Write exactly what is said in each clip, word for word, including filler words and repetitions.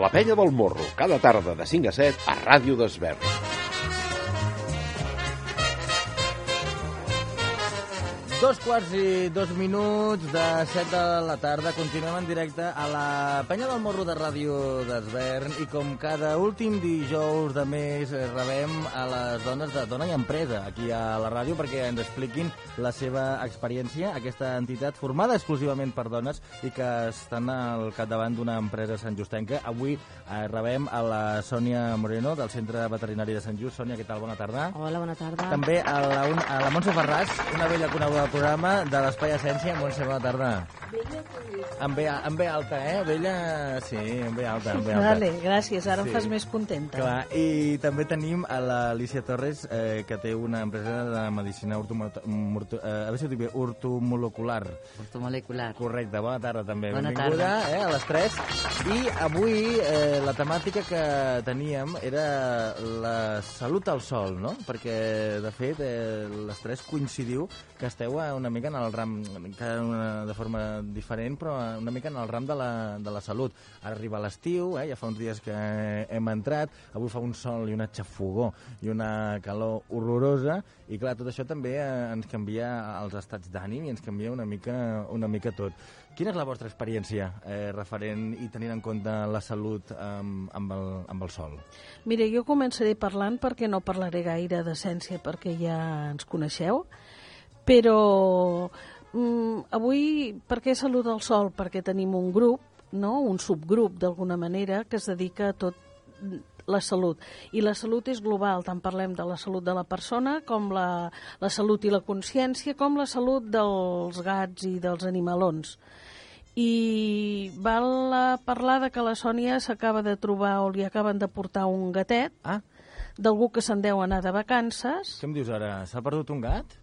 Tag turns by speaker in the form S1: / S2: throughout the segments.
S1: La Penya del Morro, cada tarda de cinc a set a Ràdio d'Esvern.
S2: Dos quarts i dos minuts de set de la tarda. Continuem en directe a la Penya del Morro de Ràdio d'Esvern i com cada últim dijous de mes rebem a les dones de Dona i Empresa aquí a la ràdio perquè ens expliquin la seva experiència, aquesta entitat formada exclusivament per dones i que estan al capdavant d'una empresa santjustenca. Avui eh, rebem a la Sònia Moreno del Centre Veterinari de Sant Just. Sònia, què tal? Bona tarda.
S3: Hola, bona tarda.
S2: També a la, a la Montse Ferràs, una vella coneguda del programa de l'Espai Essència. Montse, bona tarda. Amb B, amb B alta, eh? Vella, sí, amb B alta, amb B alta.
S3: Vale, gràcies, ara sí. Em fas més contenta.
S2: Clar, i també tenim a l'Alicia Torres, eh, que té una empresa de medicina ortomolecular.
S4: Ortomolecular.
S2: Correcte, bona tarda també.
S4: Bona
S2: Benvinguda,
S4: tarda.
S2: Eh, a les tres. I avui eh, la temàtica que teníem era la salut al sol, no? Perquè, de fet, eh, les tres coincidiu que esteu una mica en el ram, cada una de forma diferent, però una mica en el ram de la, de la salut. Ara arriba l'estiu, eh, ja fa uns dies que hem entrat, avui fa un sol i una xafogó i una calor horrorosa, i clar, tot això també eh, ens canvia els estats d'ànim i ens canvia una mica, una mica tot. Quina és la vostra experiència eh, referent i tenint en compte la salut amb, amb, el, amb el sol?
S3: Mira, jo començaré parlant perquè no parlaré gaire d'essència perquè ja ens coneixeu, però mm, avui per què Salut al Sol? Perquè tenim un grup, no? Un subgrup d'alguna manera que es dedica a tot la salut. I la salut és global, tant parlem de la salut de la persona com la, la salut i la consciència, com la salut dels gats i dels animalons. I val a parlar de que la Sònia s'acaba de trobar o li acaben de portar un gatet
S2: ah.
S3: d'algú que se'n deu anar de vacances.
S2: Què em dius ara? S'ha perdut un gat?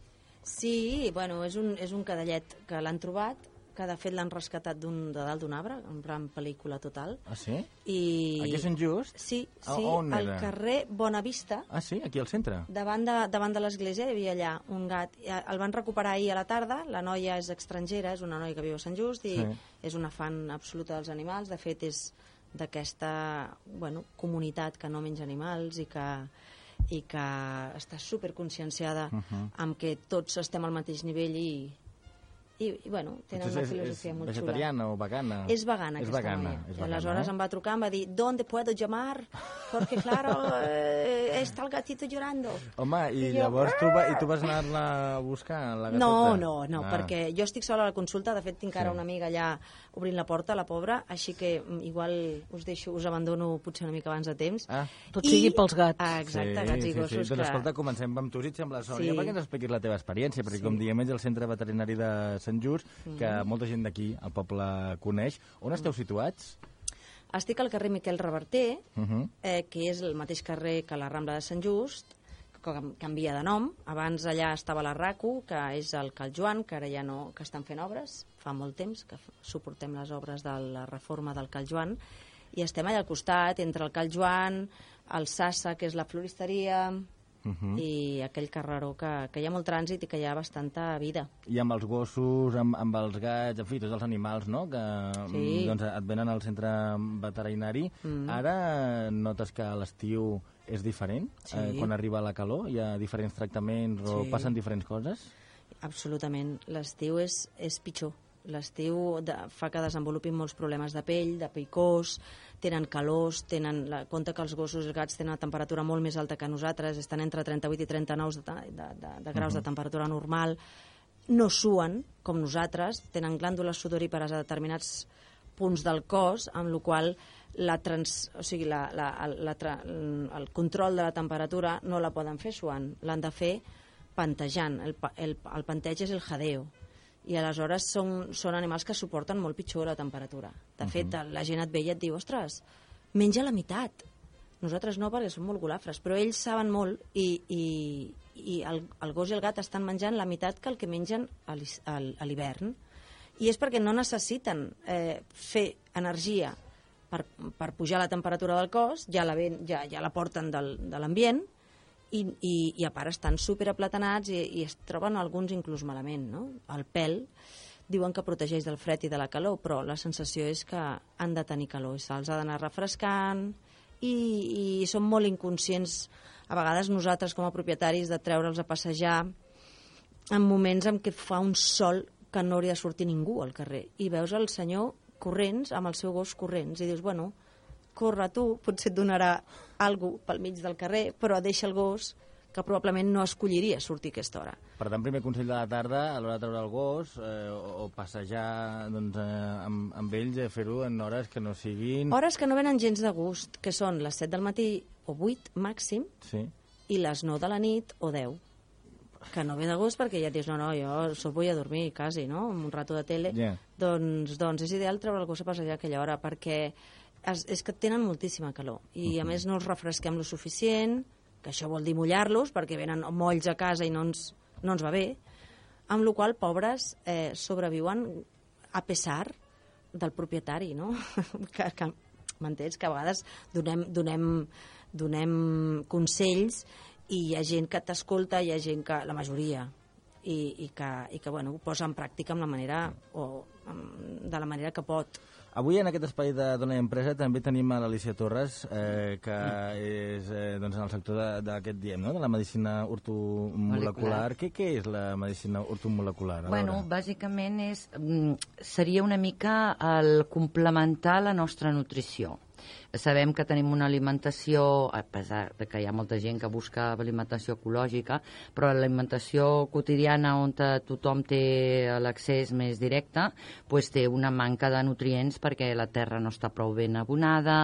S4: Sí, bueno, és un, és un cadellet que l'han trobat, que de fet l'han rescatat d'un, de dalt d'un arbre, en plan pel·lícula total.
S2: Ah, sí?
S4: I...
S2: Aquí a Sant Just?
S4: Sí, sí,
S2: on
S4: al
S2: era?
S4: carrer Bonavista.
S2: Ah, sí? Aquí al centre?
S4: Davant de, davant de l'església hi havia allà un gat. El van recuperar ahir a la tarda, la noia és estrangera, és una noia que viu a Sant Just i sí. És una fan absoluta dels animals. De fet, és d'aquesta bueno, comunitat que no menja animals i que... i que està superconscienciada uh -huh. amb que tots estem al mateix nivell i, i, i bueno, tenen una filosofia molt xula.
S2: És vegetariana o vegana?
S4: És vegana,
S2: és
S4: aquesta
S2: vegana,
S4: noia.
S2: és
S4: I
S2: vegana,
S4: aleshores
S2: eh?
S4: em va trucar, em va dir, ¿dónde puedo llamar? Porque claro, eh, está el gatito llorando.
S2: Home, i,
S4: I
S2: llavors
S4: jo...
S2: tu, va, i tu vas anar-la a buscar, la gateta?
S4: No, no, no,
S2: ah.
S4: perquè jo estic sola a la consulta, de fet tinc ara
S2: sí.
S4: una amiga allà obrint la porta, la pobra, així que igual us deixo, us abandono potser una mica abans de temps.
S2: Ah.
S3: Tot I... sigui pels gats.
S4: Ah, exacte,
S2: sí,
S4: gats i
S2: sí,
S4: gossos.
S2: Sí. Doncs
S4: que...
S2: escolta, comencem amb tu, si et sembla, Sònia,
S4: sí.
S2: perquè ens expliquis la teva experiència, perquè
S4: sí.
S2: com diem, és el Centre Veterinari de Sant Just, que mm. molta gent d'aquí, al poble, coneix. On esteu situats?
S4: Estic al carrer Miquel Reverter,
S2: uh -huh.
S4: eh, que és el mateix carrer que la Rambla de Sant Just, que canvia de nom. Abans allà estava la RACU, que és el Cal Joan, que ara ja no, que estan fent obres, fa molt temps que suportem les obres de la reforma del Cal Joan, i estem allà al costat, entre el Cal Joan, el Sassa, que és la floristeria, uh -huh. i aquell carreró que, que hi ha molt trànsit i que hi ha bastanta vida.
S2: I amb els gossos, amb, amb els gats, en fi, tots els animals, no?, que
S4: sí.
S2: doncs, et venen al centre veterinari. Mm. Ara notes que l'estiu és diferent?
S4: Sí.
S2: Eh, quan arriba la calor hi ha diferents tractaments o
S4: sí.
S2: passen diferents coses?
S4: Absolutament. L'estiu és, és pitjor. L'estiu de, fa que desenvolupin molts problemes de pell, de picors, tenen calors, tenen la, compte que els gossos i els gats tenen una temperatura molt més alta que nosaltres, estan entre trenta-vuit i trenta-nou de, de, de, de graus uh -huh. de temperatura normal, no suen com nosaltres, tenen glàndules sudorípares a determinats punts del cos, amb la qual la trans, o sigui, la, la, la, la, el control de la temperatura no la poden fer suant, l'han de fer pantejant. El, el, el panteig és el jadeo. I aleshores són, són animals que suporten molt pitjor la temperatura. De uh -huh. fet, la gent et ve i et diu, ostres, menja la meitat. Nosaltres no, perquè som molt golafres, però ells saben molt i, i, i el, el gos i el gat estan menjant la meitat que el que mengen a l'hivern. I és perquè no necessiten eh, fer energia per, per pujar la temperatura del cos, ja la, ven, ja, ja la porten del, de l'ambient, I, i, i a part estan superaplatanats i, i es troben alguns inclús malament, no? El pèl diuen que protegeix del fred i de la calor, però la sensació és que han de tenir calor, se'ls ha d'anar refrescant i, i són molt inconscients a vegades nosaltres com a propietaris de treure'ls a passejar en moments en què fa un sol que no hauria de sortir ningú al carrer i veus el senyor corrents, amb el seu gos corrents, i dius, bueno, corre tu, potser et donarà alguna cosa pel mig del carrer, però deixa el gos que probablement no escolliria sortir a aquesta hora.
S2: Per tant, primer consell de la tarda, a l'hora de treure el gos, eh, o, o passejar doncs, eh, amb, amb ells, eh, fer-ho en hores que no siguin...
S4: Hores que no venen gens de gust, que són les set del matí o vuit màxim,
S2: sí.
S4: I les nou de la nit o deu. Que no ve de gust perquè ja dius, no, no, jo sol vull a dormir, quasi, no?, amb un rato de tele.
S2: Yeah.
S4: Doncs, doncs és ideal treure el gos a passejar a aquella hora, perquè és, és que tenen moltíssima calor. I, uh-huh. a més, no els refresquem lo suficient, que això vol dir mullar-los, perquè venen molls a casa i no ens, no ens va bé, amb la qual cosa, pobres, eh, sobreviuen a pesar del propietari, no? que, que, m'entens? Que a vegades donem, donem, donem consells i hi ha gent que t'escolta, hi ha gent que, la majoria, i, i que, i que bueno, ho posa en pràctica amb la manera, o amb, de la manera que pot.
S2: Avui en aquest espai de Dona i Empresa també tenim a l'Alicia Torres, eh, que és eh, doncs en el sector d'aquest diem, no?, de la medicina ortomolecular. Què, què és la medicina ortomolecular?
S5: Bueno, bàsicament és, seria una mica el complementar la nostra nutrició. Sabem que tenim una alimentació, a pesar de que hi ha molta gent que busca alimentació ecològica, però l'alimentació quotidiana on tothom té l'accés més directe, doncs té una manca de nutrients perquè la terra no està prou ben abonada,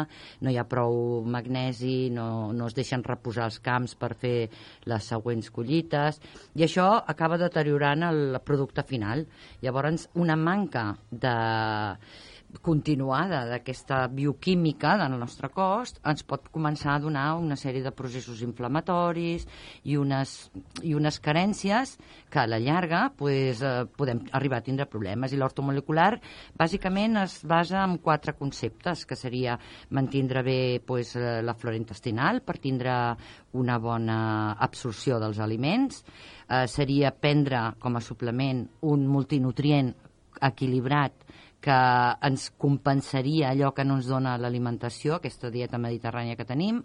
S5: no hi ha prou magnesi, no, no es deixen reposar els camps per fer les següents collites, i això acaba deteriorant el producte final. Llavors, una manca de continuada d'aquesta bioquímica del nostre cos ens pot començar a donar una sèrie de processos inflamatoris i unes, i unes carències que a la llarga pues, eh, podem arribar a tindre problemes. I l'ortomolecular bàsicament es basa en quatre conceptes, que seria mantindre bé pues, la flora intestinal per tindre una bona absorció dels aliments, eh, seria prendre com a suplement un multinutrient equilibrat que ens compensaria allò que no ens dona l'alimentació, aquesta dieta mediterrània que tenim.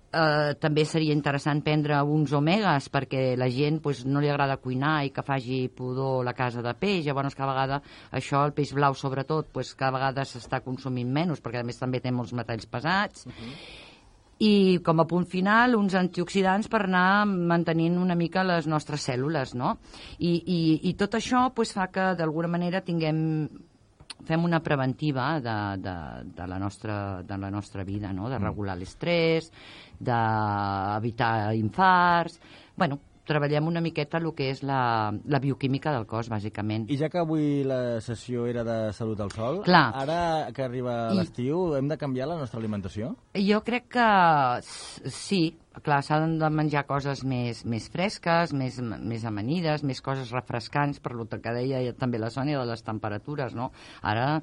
S5: Eh, també seria interessant prendre uns omegues perquè la gent pues, no li agrada cuinar i que faci pudor la casa de peix. Llavors, cada vegada això, el peix blau sobretot, pues, cada vegada s'està consumint menys perquè a més també té molts metalls pesats. Uh-huh. I com a punt final, uns antioxidants per anar mantenint una mica les nostres cèl·lules, no? I, i, i tot això pues, fa que d'alguna manera tinguem, fem una preventiva de, de, de, la nostra, de la nostra vida, no? De regular l'estrès, d'evitar infarts. Bueno, treballem una miqueta el que és la, la bioquímica del cos, bàsicament.
S2: I ja que avui la sessió era de salut al sol,
S5: clar,
S2: ara que arriba l'estiu, hem de canviar la nostra alimentació?
S5: Jo crec que sí. Clar, s'han de menjar coses més, més fresques, més, més amanides, més coses refrescants, per lo que deia també la Sònia de les temperatures, no? Ara,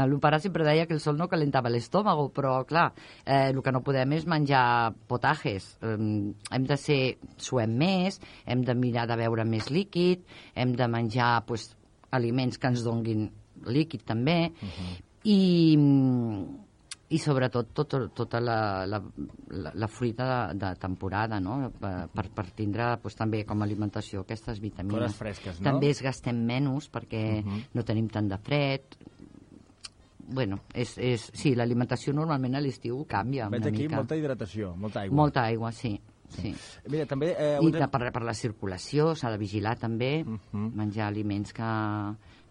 S5: l'opera sempre deia que el sol no calentava l'estómac, però, clar, eh, el que no podem és menjar potajes. Eh, hem de ser, suem més, hem de mirar de beure més líquid, hem de menjar pues, aliments que ens donguin líquid també, uh-huh. i... i sobretot tot, tota la, la, la, la fruita de, de temporada, no? per, per tindre pues, també com a alimentació aquestes vitamines.
S2: Coses fresques, no?
S5: També es gastem menys perquè uh-huh. no tenim tant de fred. Bueno, és, és, sí, l'alimentació normalment a l'estiu canvia
S2: Veig
S5: una
S2: aquí
S5: mica.
S2: Molta hidratació, molta aigua.
S5: Molta aigua, sí. Sí.
S2: Mira, també, eh,
S5: I
S2: un...
S5: per, per la circulació s'ha de vigilar també,
S2: uh-huh.
S5: menjar aliments que,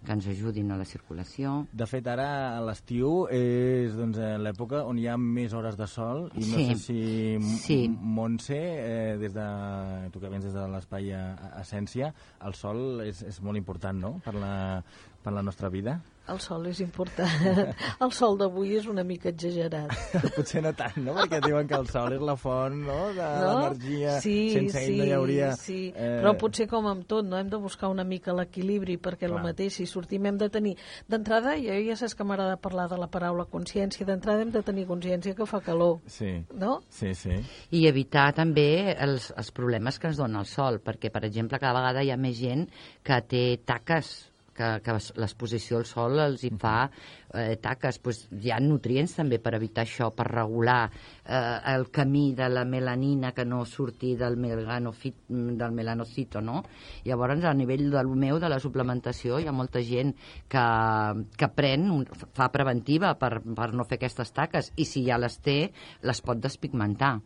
S5: que ens ajudin a la circulació.
S2: De fet, ara a l'estiu és doncs, l'època on hi ha més hores de sol i no
S5: sí.
S2: sé si
S5: sí.
S2: Montse, eh, des de, tu que vens des de l'espai Essència, el sol és, és molt important, no?, per la, per la nostra vida.
S3: El sol és important. El sol d'avui és una mica exagerat.
S2: Potser no tant, no?, perquè diuen que el sol és la font, no?, de
S3: no?
S2: l'energia.
S3: Sí,
S2: sense ell
S3: sí,
S2: no hi hauria...
S3: sí.
S2: Eh...
S3: Però potser com amb tot, no? Hem de buscar una mica l'equilibri, perquè el mateix, si sortim hem de tenir... D'entrada, jo ja saps que m'agrada parlar de la paraula consciència, d'entrada hem de tenir consciència que fa calor.
S2: Sí,
S3: no?
S2: sí, sí.
S5: I evitar també els, els problemes que ens dona el sol, perquè, per exemple, cada vegada hi ha més gent que té taques que, que l'exposició al sol els hi fa eh, taques. Pues hi ha nutrients també per evitar això, per regular eh, el camí de la melanina que no surti del, melanofit, del melanocito, no? Llavors, a nivell del meu, de la suplementació, hi ha molta gent que, que pren, fa preventiva per, per no fer aquestes taques, i si ja les té, les pot despigmentar.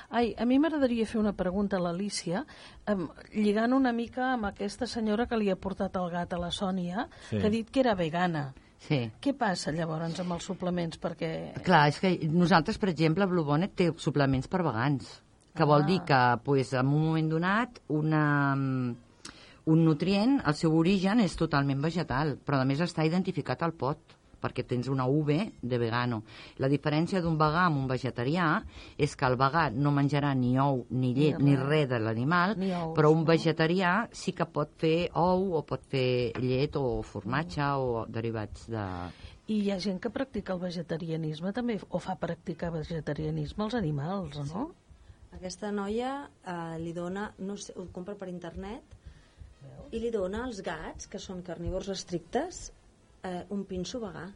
S3: Ai, a mi m'agradaria fer una pregunta a l'Alícia, eh, lligant una mica amb aquesta senyora que li ha portat el gat a la Sònia, sí. que ha dit que era vegana.
S5: Sí.
S3: Què passa llavors amb els suplements? Perquè...
S5: Clar, és que nosaltres, per exemple, Blue Bonnet té suplements per vegans, que ah. vol dir que pues, en un moment donat una, un nutrient, el seu origen és totalment vegetal, però a més està identificat al pot, perquè tens una U V de vegano. La diferència d'un vegà amb un vegetarià és que el vegà no menjarà ni ou, ni llet, ni, ni res de l'animal, però un vegetarià sí que pot fer ou, o pot fer llet, o formatge, mm. o derivats de...
S3: I hi ha gent que practica el vegetarianisme també, o fa practicar vegetarianisme als animals, no?
S4: Sí. Aquesta noia eh, li dona, no sé, ho compra per internet, i li dona als gats, que són carnívors estrictes, Eh, un pinso vegà,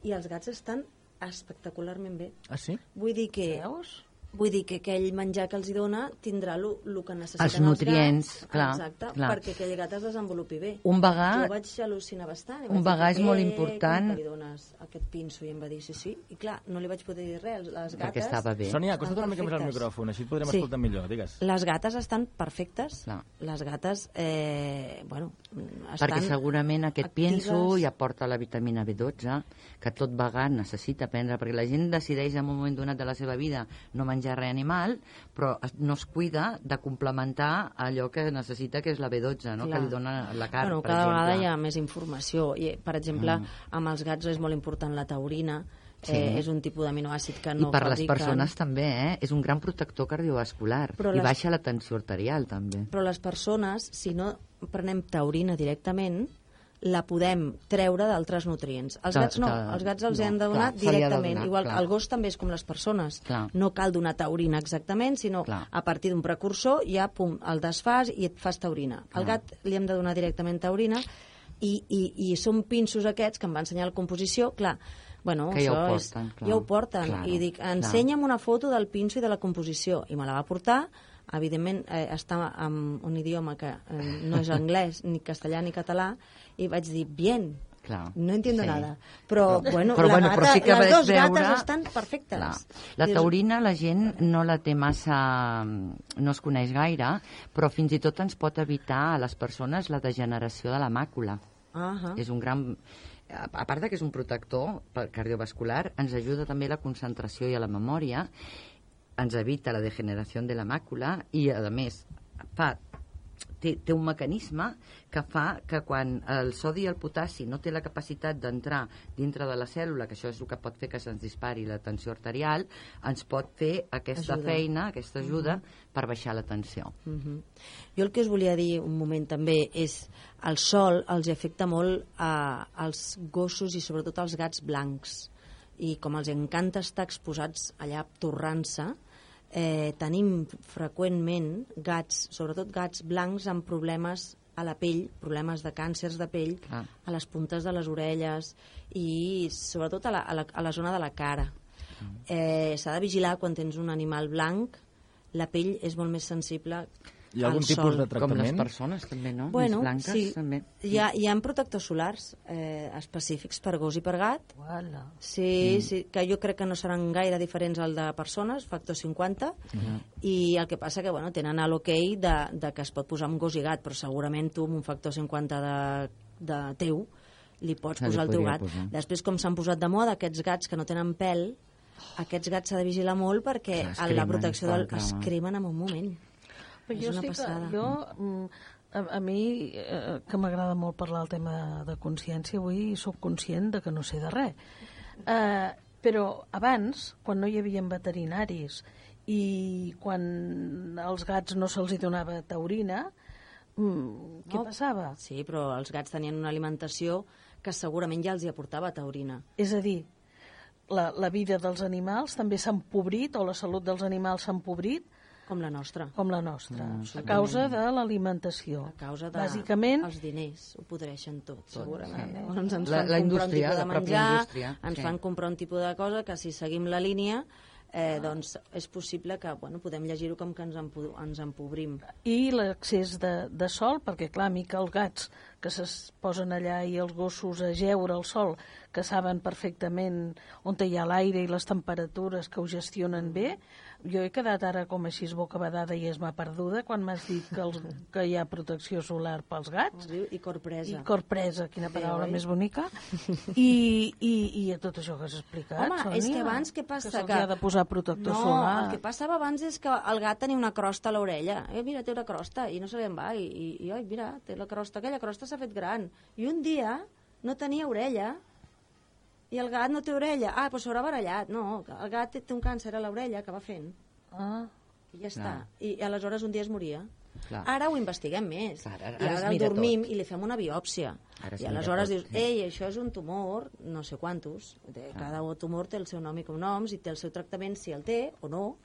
S4: i els gats estan espectacularment bé.
S2: Ah, sí?
S4: Vull dir que...
S3: Veus?
S4: Vull dir que aquell menjar que els hi dona tindrà el que necessiten
S5: els nutrients,
S4: els gats,
S5: clar,
S4: exacte,
S5: clar.
S4: perquè aquell gat es desenvolupi bé.
S5: Un vegà...
S4: Jo vaig al·lucinar bastant.
S5: Un vegà és molt important.
S4: Com que li dones aquest pinso? I em va dir sí, sí. I clar, no li vaig poder dir res. Les gates...
S5: Perquè estava bé.
S2: Sònia, acosta't una mica més al micròfon, així et podrem
S4: sí.
S2: escoltar millor, digues.
S4: Les gates estan perfectes.
S5: Clar.
S4: Les gates, eh, bueno, estan
S5: perquè segurament aquest
S4: actives.
S5: pinso ja porta la vitamina B dotze, que tot vegà necessita prendre, perquè la gent decideix en un moment donat de la seva vida no menjar res animal, però no es cuida de complementar allò que necessita, que és la B dotze, no? Que li dona la carn,
S4: bueno,
S5: per
S4: cada
S5: exemple.
S4: vegada hi ha més informació. I, per exemple, mm. amb els gats és molt important la taurina. Sí. Eh, és un tipus d'aminoàcid que no
S5: I per
S4: fabriquen.
S5: les persones també, eh? És un gran protector cardiovascular. Però I les... baixa la tensió arterial, també.
S4: Però les persones, si no prenem taurina directament, la podem treure d'altres nutrients. Els gats no, els gats els no, han de donar clar, directament. De donar, igual clar. El gos també és com les persones. Clar. No cal donar taurina exactament, sinó clar. A partir d'un precursor ja pum, el desfas i et fas taurina. Clar. Al gat li hem de donar directament taurina i, i, i són pinsos aquests que em va ensenyar la composició, clar, bueno,
S5: que ja
S4: això
S5: ho porten,
S4: és,
S5: clar.
S4: ja ho porten.
S5: Claro,
S4: i dic, ensenya'm una foto del pinso i de la composició, i me la va portar. Evidentment eh, està en un idioma que eh, no és anglès, ni castellà ni català, i vaig dir, bien, clar, no entiendo sí. nada. Però, però bueno,
S5: però,
S4: la
S5: bueno,
S4: gata,
S5: però sí que
S4: les dues
S5: veure...
S4: gates estan perfectes.
S5: Clar. La taurina la gent no la té massa... no es coneix gaire, però fins i tot ens pot evitar a les persones la degeneració de la màcula. Uh-huh. És un gran... A part que és un protector cardiovascular, ens ajuda també a la concentració i a la memòria, ens evita la degeneració de la màcula i, a més, fa, té, té un mecanisme que fa que quan el sodi i el potassi no té la capacitat d'entrar dintre de la cèl·lula, que això és el que pot fer que se'ns dispari la tensió arterial, ens pot fer aquesta ajuda. feina, aquesta ajuda, uh -huh. per baixar la tensió.
S4: Uh -huh. Jo el que us volia dir un moment també és el sol els afecta molt a, als gossos i sobretot als gats blancs. I com els encanta estar exposats allà torrant-se, eh, tenim freqüentment gats, sobretot gats blancs amb problemes a la pell, problemes de càncers de pell, ah. a les puntes de les orelles i sobretot a la, a la, a la zona de la cara. Mm. Eh, s'ha de vigilar quan tens un animal blanc, la pell és molt més sensible.
S2: Hi ha algun tipus de tractament?
S5: Com les persones, també, no?
S4: Bueno,
S5: més blanques,
S4: sí.
S5: també.
S4: Hi ha, hi ha protectors solars eh, específics per gos i per gat.
S3: Uala.
S4: Sí,
S5: Mm.
S4: sí, que jo crec que no seran gaire diferents al de persones, factor cinquanta,
S5: Mm.
S4: i el que passa que, bueno, tenen l'ok de, de que es pot posar amb gos i gat, però segurament tu amb un factor cinquanta de, de teu li pots
S5: Se li
S4: posar el teu
S5: podria
S4: gat.
S5: posar.
S4: Després, com s'han posat de moda aquests gats que no tenen pèl, aquests gats s'ha de vigilar molt perquè
S5: Clar, es
S4: a la
S5: cremen,
S4: protecció del,
S5: clar,
S4: es
S5: clar.
S4: cremen en un moment.
S3: Però
S4: és
S3: jo
S4: una
S3: estic,
S4: passada.
S3: jo, mm, a, a mi, eh, que m'agrada molt parlar el tema de consciència, avui sóc conscient de que no sé de res. Eh, però abans, quan no hi havia veterinaris i quan als gats no se'ls hi donava taurina, mm, què
S4: No.
S3: passava?
S4: Sí, però els gats tenien una alimentació que segurament ja els hi aportava taurina.
S3: És a dir, la, la vida dels animals també s'ha empobrit, o la salut dels animals s'ha empobrit,
S4: Com la nostra.
S3: Com la nostra,
S5: Mm,
S3: a causa de l'alimentació.
S4: A causa de
S3: Bàsicament,
S4: els diners, ho podreixen tot, segurament.
S5: sí.
S4: Eh? Llavors ens
S5: La-
S4: fan
S5: la
S4: comprar
S5: indústria,
S4: un tipus
S5: la
S4: de
S5: pròpia
S4: menjar,
S5: indústria,
S4: ens
S5: sí.
S4: fan comprar un tipus de cosa que si seguim la línia eh, doncs és possible que bueno, podem llegir-ho com que ens, empo ens empobrim.
S3: i l'accés de, de sol, perquè clar, mica els gats que es posen allà i els gossos a jeure al sol, que saben perfectament on hi ha l'aire i les temperatures, que ho gestionen bé. Jo he quedat ara com així bocabadada i es m'ha perduda quan m'has dit que, els, que hi ha protecció solar pels gats.
S4: Es diu i corpresa.
S3: I corpresa, quina paraula
S4: oi?
S3: més bonica. I, i, i a tot això que has explicat,
S4: Home,
S3: Sònia,
S4: és que abans què passa?
S3: Que se'ls
S4: Que-
S3: ha de posar protector
S4: no,
S3: solar.
S4: el que passava abans és que el gat tenia una crosta a l'orella. Eh, mira, té una crosta, i no se li en va. I, i, i oi, mira, té la crosta, aquella crosta s'ha fet gran. I un dia no tenia orella, i el gat no té orella. Ah, doncs s'haurà barallat. No, el gat té, té un càncer a l'orella que va fent.
S3: Ah,
S4: I ja està.
S5: Clar.
S4: I aleshores un dia es moria.
S5: Clar.
S4: Ara ho investiguem més.
S5: Clar, ara-
S4: I
S5: ara es
S4: ara el
S5: mira
S4: dormim
S5: tot.
S4: i li fem una biòpsia.
S5: Ara es
S4: I
S5: mira
S4: aleshores
S5: tot,
S4: dius,
S5: sí.
S4: ei, això és un tumor, no sé quantos. De- Cada tumor té el seu nom i cognoms i té el seu tractament, si el té o no,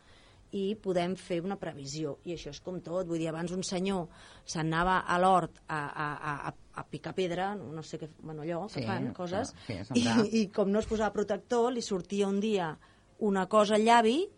S4: i podem fer una previsió. I això és com tot. Vull dir, abans un senyor se'n anava a l'hort a, a, a, a, a picar pedra, no sé què, bueno, allò, que
S5: Sí,
S4: fan, coses,
S5: sí, a
S4: i,
S5: sembrar.
S4: i com no es posava protector, li sortia un dia una cosa al llavi,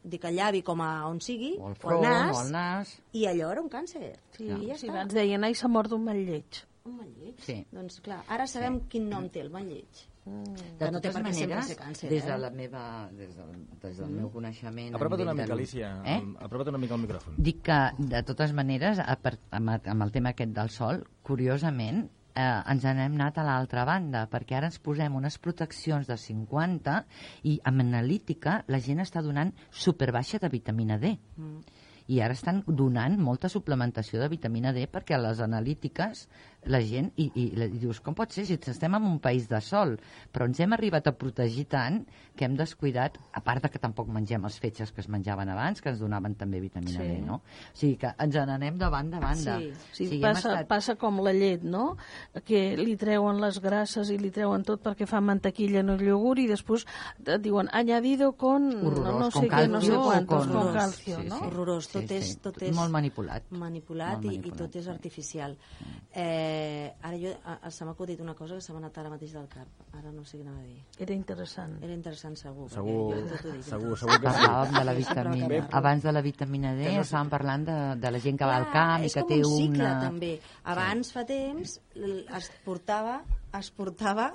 S4: dic al llavi com a on sigui,
S5: O el
S4: o
S5: front,
S4: al nas,
S5: o el nas.
S4: i allò era un càncer.
S3: sí,
S4: I ja
S3: sí,
S4: està.
S3: abans deien, ai, s'ha mort d'un mal lleig.
S4: Un mal lleig.
S5: Sí.
S4: Doncs clar, ara sabem quin nom té el mal lleig.
S5: De
S4: Que no té
S5: totes
S4: per què sempre
S5: maneres,
S4: ser càncer,
S5: des de
S4: eh?
S5: la meva, des del, des del meu coneixement... a
S2: Apropa't una
S5: nivell
S2: mica,
S5: de-
S2: Alicia.
S5: Eh?
S2: Apropa't una mica al micròfon.
S5: Dic que, de totes maneres, a part, amb, amb el tema aquest del sol, curiosament, eh, ens n'hem anat a l'altra banda, perquè ara ens posem unes proteccions de cinquanta i amb analítica la gent està donant superbaixa de vitamina D.
S4: Mm.
S5: I ara estan donant molta suplementació de vitamina D perquè a les analítiques la gent, i, i, i dius, com pot ser si estem en un país de sol, però ens hem arribat a protegir tant que hem descuidat, a part de que tampoc mengem els fetges que es menjaven abans, que ens donaven també vitamina
S3: Sí.
S5: D, no? O sigui que ens n'anem de banda a banda.
S4: Sí.
S3: Sí,
S5: O sigui, hem
S3: passa,
S5: estat-
S3: passa com la llet, no? Que li treuen les grasses i li treuen tot perquè fan mantequilla en el iogurt i després et diuen añadido con
S5: Horrorós,
S3: no sé
S5: con
S3: què, no sé
S5: calcio o
S3: quantos,
S5: con-
S3: con
S4: Horrorós.
S3: calcio,
S5: Sí,
S3: no?
S5: sí.
S4: Horrorós, tot és- tot és-
S5: Molt manipulat.
S4: manipulat,
S5: Molt
S4: i, i
S5: manipulat,
S4: tot és
S5: sí.
S4: artificial. Eh, ara jo, a, se m'ha acudit una cosa que se m'ha anat ara mateix del cap. Ara no sé què anava a dir.
S3: Era interessant.
S4: Era interessant, segur.
S2: Segur,
S4: perquè jo tot ho dic.
S2: segur, segur que sí.
S5: Parlàvem de la
S4: Sempre
S5: vitamina...
S4: acabem.
S5: Abans de la vitamina D
S2: Que no sé-
S5: estàvem parlant de, de la gent que va al
S4: Clar,
S5: camp i
S4: és
S5: que
S4: com
S5: té
S4: un cicle,
S5: una...
S4: també. Abans, fa temps, l- es portava... Es portava...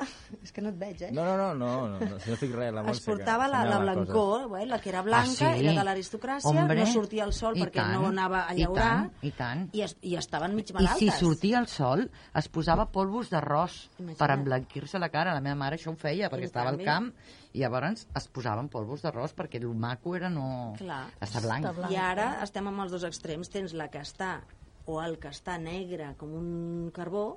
S4: És que no et veig, eh?
S2: No, no, no, no, no, no si no estic res, la
S4: Es
S2: Montse, que
S4: portava la, la
S2: assenyala
S4: blancor, eh, la que era blanca,
S5: Ah, sí?
S4: era de l'aristocràcia,
S5: Hombre,
S4: no sortia al sol
S5: i
S4: perquè
S5: tant,
S4: no anava a
S5: i
S4: llaurar,
S5: tant, i tant.
S4: i, es, i estaven mig
S5: I
S4: malaltes.
S5: si sortia el sol, es posava polvos d'arròs
S4: Imagina't.
S5: per emblanquir-se la cara. La meva mare això ho feia, perquè
S4: I
S5: estava al
S4: també.
S5: camp, i llavors es posaven polvos d'arròs perquè el maco era no...
S4: Clar.
S5: estar blanc.
S3: Està blanc.
S4: I ara estem amb els dos extrems. Tens la que està, o el que està negre com un carbó,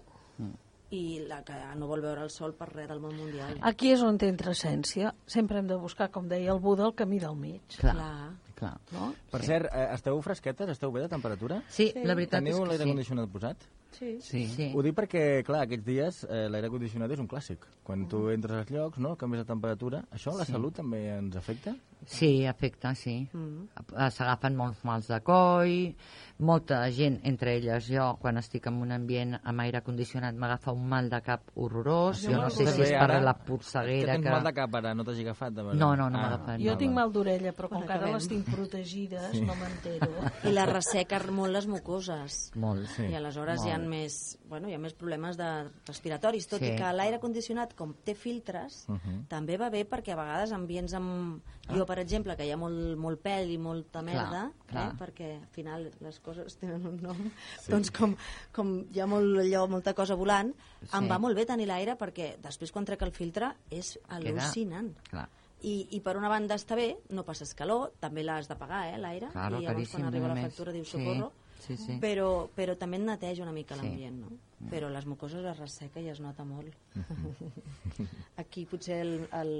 S4: i la que no vol veure el sol per res del món mundial.
S3: Aquí és on entra essència. Sempre hem de buscar, com deia el Buda, el camí del mig.
S5: Clar,
S4: Clar.
S5: clar.
S3: No?
S2: Per cert, eh, esteu fresquetes? Esteu bé de temperatura?
S5: Sí, la veritat
S2: Teniu
S5: és
S2: l'aire
S5: que sí.
S2: condicionat posat?
S3: Sí.
S5: Sí. sí.
S2: Ho dic perquè, clar, aquests dies eh, l'aire condicionat és un clàssic. Quan tu entres als llocs, no?, canvies de temperatura. Això, la
S5: Sí.
S2: salut també ens afecta?
S5: Sí, afecta, sí. Mm. S'agafen molts mals de coll, molta gent, entre elles jo, quan estic en un ambient amb aire condicionat, m'agafa un mal de cap horrorós.
S3: Jo
S5: Jo no
S3: me'l
S5: sé si
S3: agafé
S5: és per
S2: ara.
S5: la
S2: Que
S5: polseguera
S2: tens
S5: que...
S2: mal de cap ara, no t'hagi agafat? De veritat?
S5: No, no, no m'ha
S2: Ah,
S5: agafat.
S3: Jo
S5: no,
S3: tinc
S5: va.
S3: mal d'orella, però com
S4: Quan
S3: que ara
S4: acabem.
S3: les tinc protegides, no m'entero.
S4: I la resseca molt les mucoses.
S5: Molt,
S2: Sí.
S4: I aleshores
S5: Molt.
S4: hi ha més, bueno, hi ha més problemes de respiratoris, tot
S5: Sí.
S4: i que l'aire condicionat, com té filtres,
S2: Mhm.
S4: també va bé perquè a vegades ambients amb... Jo, per exemple, que hi ha molt, molt pèl i molta merda,
S5: clar.
S4: Eh, perquè al final les coses tenen un nom, sí. doncs com, com hi ha molt, allò, molta cosa volant,
S5: Sí.
S4: em va molt bé tenir l'aire perquè després quan trec el filtre és al·lucinant.
S5: Clar.
S4: I, I per una banda està bé, no passes calor, també l'has de pagar, eh, l'aire,
S5: Claro,
S4: i llavors
S5: caríssim,
S4: quan arriba la
S5: només.
S4: factura dius
S5: Sí,
S4: socorro,
S5: sí, sí.
S4: però, però també et neteja una mica
S5: Sí.
S4: l'ambient, no? però les mucoses es resseca i es nota molt. Aquí potser el, el,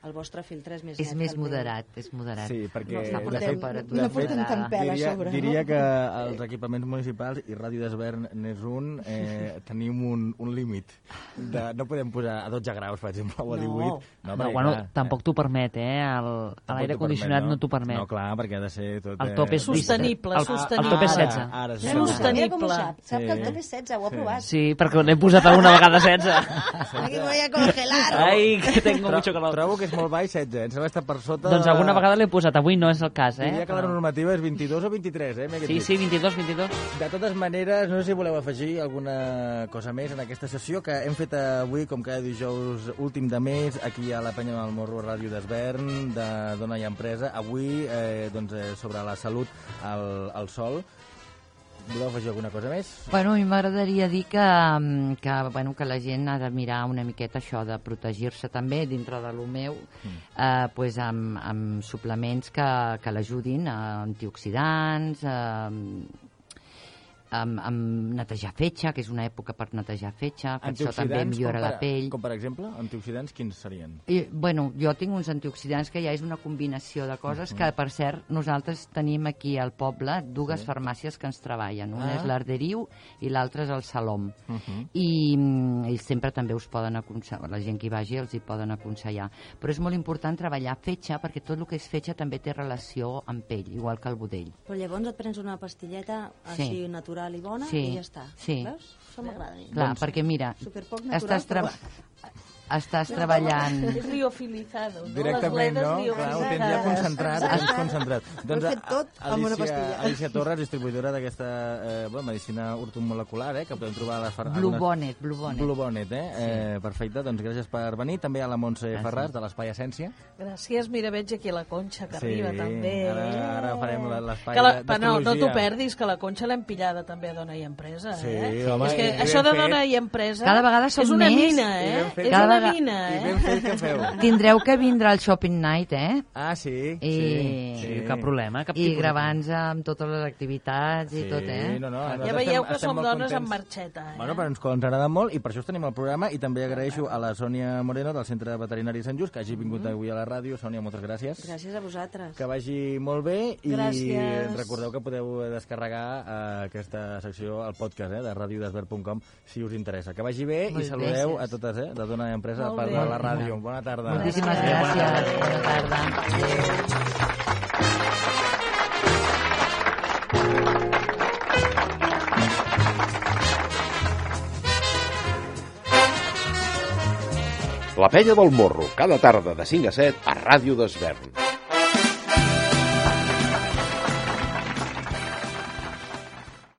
S4: el vostre filtre és més
S5: És
S4: net.
S5: més
S4: que el meu.
S5: moderat, és moderat.
S2: Sí, perquè
S4: No, no
S2: de
S4: portem-
S2: fet,
S4: no
S2: de
S4: portem
S2: fet,
S4: tant pèl a
S2: diria,
S4: sobre, no?
S2: diria que els equipaments municipals i Ràdio d'Esvern n'és un, eh, tenim un, un límit. De, no podem posar a dotze graus, per exemple, o a
S4: No.
S2: divuit.
S6: No,
S2: perquè,
S6: bueno,
S2: clar,
S6: tampoc t'ho permet, eh? El-
S2: tampoc
S6: L'aire
S2: t'ho
S6: condicionat
S2: permet,
S6: no t'ho permet.
S2: No, clar, perquè ha de ser tot...
S6: El top és
S3: Sostenible,
S6: el,
S3: sostenible.
S6: El top és
S2: Ara,
S6: setze.
S2: ara, sí.
S3: Sostenible.
S4: Mira com ho sap, sap que el
S2: Sí.
S4: top és setze, ho ha
S2: Sí.
S4: provat.
S6: Sí, perquè l'he posat alguna vegada setze.
S4: Aquí me voy a congelar.
S6: Ai, que tengo
S2: Tro-
S6: mucho calor.
S2: Trobo que és molt baix setze, em sembla que està per sota...
S6: Doncs
S2: de-
S6: alguna vegada l'he posat, avui no és el cas, eh?
S2: Diria que la normativa és vint-i-dos o vint-i-tres, eh? m'he
S6: Sí,
S2: dit.
S6: sí, vint-i-dos, vint-i-dos.
S2: De totes maneres, no sé si voleu afegir alguna cosa més en aquesta sessió que hem fet avui, com cada dijous últim de mes, aquí a la Penya del Morro, Ràdio d'Esvern, de Dona i Empresa. Avui, eh, doncs, eh, sobre la salut al, al sol. Voleu afegir alguna cosa més?
S5: Bueno, a mi m'agradaria dir que, mm, que, bueno, que la gent ha de mirar una miqueta això de protegir-se també dintre de lo meu,
S2: Mm.
S5: eh, pues amb, amb suplements que, que l'ajudin, eh, antioxidants, eh, amb, amb netejar fetge, que és una època per netejar fetge, que això també millora
S2: com
S5: la
S2: per,
S5: pell.
S2: Com per exemple, antioxidants, quins serien?
S5: I, bueno, jo tinc uns antioxidants que ja és una combinació de coses que, per cert, nosaltres tenim aquí al poble dues
S2: Sí.
S5: farmàcies que ens treballen. Una
S2: Ah.
S5: és l'Arderiu i l'altra és el Salom.
S2: Uh -huh.
S5: I mm, ells sempre també us poden aconsellar, la gent que hi vagi els hi poden aconsellar. Però és molt important treballar fetge, perquè tot el que és fetge també té relació amb pell, igual que el budell.
S4: Però llavors et prens una pastilleta així
S5: Sí.
S4: natural i bona
S5: Sí,
S4: i ja està.
S5: sí.
S4: Veus? Això m'agrada a mi.
S5: Clar, perquè mira,
S4: Superpoc natural,
S5: estàs, treba
S4: però-
S5: estàs treballant...
S3: És liofilizado, no?
S2: Directament,
S3: Les
S2: no?
S3: bledes
S2: Clar, ho tens ja concentrat, ho tens concentrat.
S4: Ho he fet tot amb una
S2: Alicia,
S4: pastilla.
S2: Alicia Torres, distribuïdora d'aquesta eh, bueno, medicina ortomolecular, eh, que podem trobar a les farmàcies.
S5: Blue Bonnet, Blue Bonnet.
S2: Blue Bonnet, eh? Sí. eh? Perfecte, doncs gràcies per venir. També a la Montse
S5: Gràcies.
S2: Ferràs, de l'Espai Essència.
S3: Gràcies, mira, veig aquí la Conxa que arriba també.
S2: Ara, ara farem la- l'espai
S3: Que la,
S2: de-
S3: però no, no t'ho
S2: d'astrologia.
S3: perdis, que la Conxa l'hem pillada també a Dona i Empresa.
S2: Sí,
S3: eh?
S2: home,
S3: és que
S2: i ben
S3: això de
S2: fet.
S3: Dona i Empresa
S5: Cada vegada som
S3: és una
S5: més,
S3: mina,
S2: i
S3: eh?
S2: ben fet.
S3: És
S5: Cada
S3: una
S5: vegada-
S3: mina,
S2: I
S3: eh?
S2: ben fet que feu.
S5: Tindreu que vindre al Shopping Night, eh?
S2: Ah, sí?
S5: I-
S2: sí,
S6: Sí, cap problema, cap
S5: I
S6: tipus de
S5: gravar-nos amb totes les activitats i
S2: Sí,
S5: tot, eh?
S2: no, no,
S3: Ja
S2: nosaltres
S3: veieu
S2: estem-
S3: que
S2: estem
S3: som
S2: molt
S3: dones
S2: contents.
S3: amb marxeta, eh?
S2: Bueno, però ens, ens agrada molt i per això us tenim al programa i també agraeixo a la Sònia Moreno del Centre Veterinari Sant Just que hagi vingut avui a la ràdio. Sònia, moltes gràcies.
S4: Gràcies a vosaltres.
S2: Que vagi molt bé i
S3: Gràcies.
S2: recordeu que podeu descarregar eh, aquesta secció al podcast eh, de ràdio desvern punt com si us interessa. Que vagi bé
S5: Molt
S2: i
S5: bé.
S2: saludeu a totes, eh, de Dona i Empresa
S3: Molt
S2: per
S3: bé.
S2: la ràdio. Bona tarda.
S5: Moltíssimes
S3: Gràcies.
S5: gràcies. Bona tarda.
S1: La Penya del Morro, cada tarda de cinc a set a Ràdio d'Esvern.